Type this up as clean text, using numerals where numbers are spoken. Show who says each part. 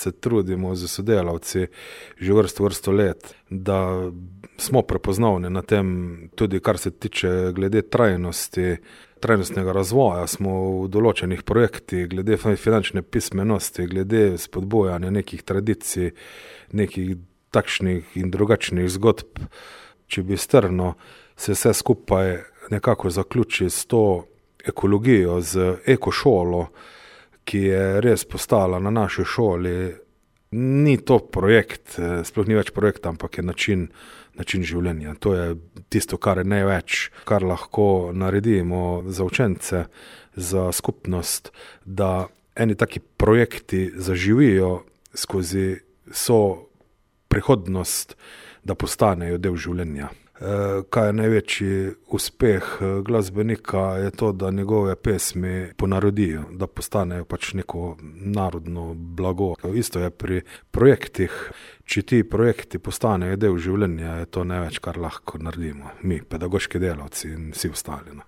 Speaker 1: se trudimo z sodelavci že vrsto let, da smo prepoznavni na tem, tudi kar se tiče glede trajnostnega razvoja, smo v določenih projektih, glede finančne pismenosti, glede spodbujanja nekih tradicij, nekih takšnih in drugačnih zgodb. Če bi strno se vse skupaj nekako zaključi s to ekologijo, z ekošolo, ki je res postala na naši šoli. Ni to projekt, sploh ni več projekt, ampak je način življenja. To je tisto, kar je največ, kar lahko naredimo za učence, za skupnost, da eni taki projekti zaživijo skozi prihodnost, da postanejo del življenja. Kaj je največji uspeh glasbenika, je to, da njegove pesmi ponarodijo, da postanejo pač neko narodno blago. Isto je pri projektih. Če ti projekti postanejo del življenja, je to največ, kar lahko naredimo. Mi, pedagoški delavci in vsi ostali.